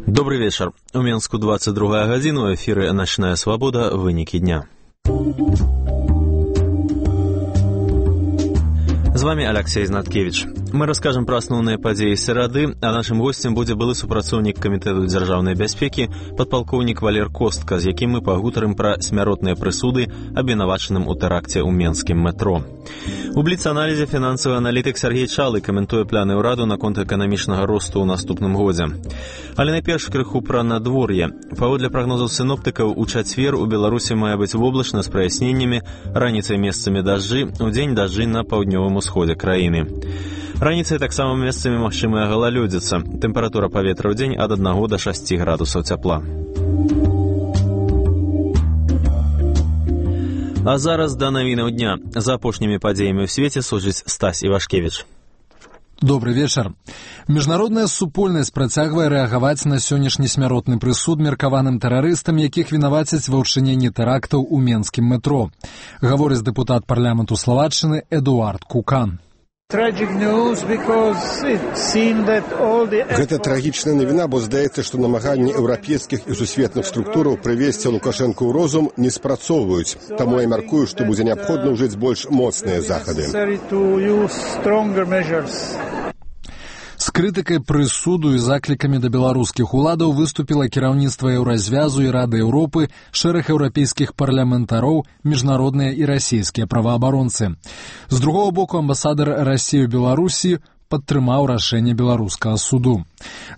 Добрый вечер. У Менску 22 гадзіна, у эфіры «Ночная свобода. Вынікі дня». З вами Алексей Знаткевич. Мы расскажем про основные падзеі серады, а нашим гостем будзе былы супрацоўнік камітэту дзяржаўнай бяспекі падпалкоўнік Валер Костка, з якім мы пагутарым пра смяротныя прысуды абвінавачаным у тэракце ў менскім метро. У бліц-аналізе фінансавы аналітык Сергей Чалы каментуе пляны ўраду наконт эканамічнага росту ў наступным годзе. Але найперш крыху пра надвор'е. Паводле прагнозаў сіноптыкаў, у чацвер у Беларусі мае быць воблачна з праясненнямі, раніцай месцамі дажджы, удзень дажджы на паўднёвым усходзе краіны. Раніцай таксама месцамі магчымая галалёдзіца. Тэмпература паветра ў дзень ад 1 до 6 градусаў цяпла. А зараз да навінаў дня. За апошнімі падзеямі ў свеце сочыць Стась Івашкевіч. Добрый вечер. Міжнародная супольнасць працягвае рэагаваць на сённяшні смяротны прысуд меркаваным тэрарыстам, якіх вінавацяць ва ўчыненні тэрактаў у менскім метро. Гаворыць дэпутат парламенту Словаччыны Эдуард Кукан. Гэта трагічная навіна, бо здаецца, што намаганні еўрапейскіх і сусветных структураў прывесці Лукашэнку ў розум не спрацоўваюць. Таму я мяркую, што будзе неабходна ўжыць больш моцныя захады. З крытыкай прысуду і заклікамі да беларускіх уладаў выступіла кіраўніцтва Еўразвязу і Рады Еўропы, шэраг еўрапейскіх парламентароў, міжнародныя і расійскія праваабаронцы. З другого боку, амбасадар Расіі ў Беларусі падтрымаў рашэнне беларускага суду.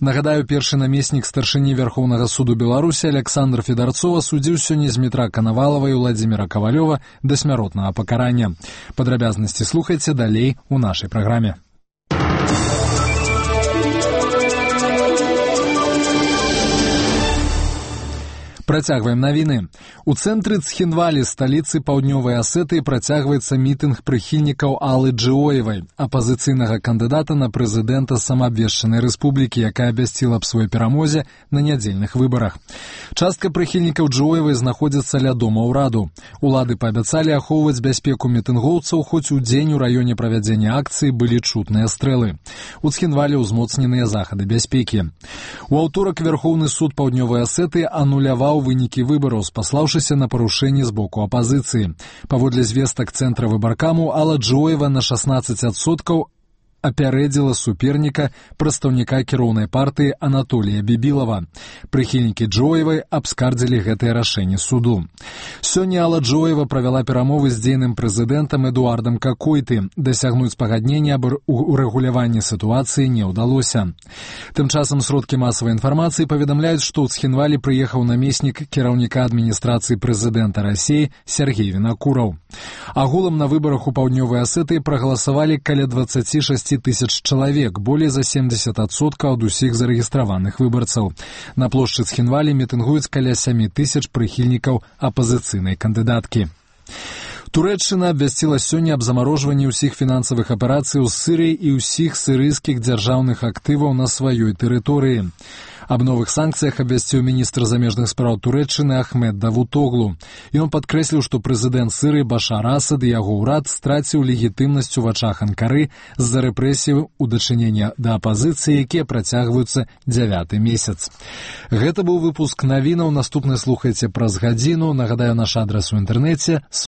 Нагадаю, першы намеснік старшыні Верхоўнага суду Беларусі Александр Федарцова судзіў сёння Змітра Канавалава і Владзіміра Кавалёва да смяротнага пакарання. Падрабязнасці слухайце далей у нашай праграме. Працягваем навіны. У цэнтры Цхінвалі, сталіцы Паўднёвай Асетыі, працягваецца мітынг прыхільнікаў Аллы Джиоевай, апазіцыйнага кандыдата на прэзідэнта самаабвешчанай рэспублікі, якая абвясціла аб сваёй перамозе на нядзельных выбарах. Частка прыхільнікаў Джиоевай знаходзіцца ля дома ўраду. Улады паабяцалі ахоўваць бяспеку мітынгоўцаў, хоць у дзень у раёне правядзення акцыі былі чутныя стрэлы. У Цхінвалі ўзмоцненыя захады бяспекі. У аўторак Верхоўны суд Паўднёвай Асетыі ануляваў вынікі выбараў, спаслаўшыся на парушэнні з боку апазіцыі. Паводле звестак цэнтра выбаркаму, Алла Джиоева на 16% апярэдзіла суперніка, прадстаўніка кіроўнай партыі Анатолія Бібілава. Прыхільнікі Джиоевай абскардзілі гэтае рашэнне суду. Сёння Алла Джиоева правяла перамовы з дзейным прэзідэнтам Эдуардам Какойты. Дасягнуць пагаднення аб урэгуляванні сітуацыі не ўдалося. Тым часам сродкі масавай інфармацыі паведамляюць, што ў Цхінвалі прыехаў намеснік кіраўніка адміністрацыі прэзідэнта Расіі Сергей Вінакураў. Агулам на выбарах у Паўднёвай Асетыі прагаласавалі каля 26 тысяч чалавек, болей за 70% ад усіх зарэгістраваных выбарцаў. На плошчы Цхінвалі мітынгуюць каля 7 тысяч прыхільнікаў апазіцыйнай кандыдаткі. Турэччына абвясціла сёння аб замарожванні ўсіх фінансавых аперацый у Сірыі і ўсіх сірыйскіх дзяржаўных актываў на сваёй тэрыторыі. Аб новых санкцыях абвясціў міністр замежных спраў Турэччыны Ахмед Давутоглу. Ён падкрэсліў, што прэзідэнт Сірыі Башар Асад і яго ўрад страціў легітымнасць у вачах Анкары з-за рэпрэсій у дачыненні да апазіцыі, якія працягваюцца 9-й месяц. Гэта быў выпуск навінаў. Наступны слухайце праз гадзіну. Нагадаю, наш адрас у інтэрнэце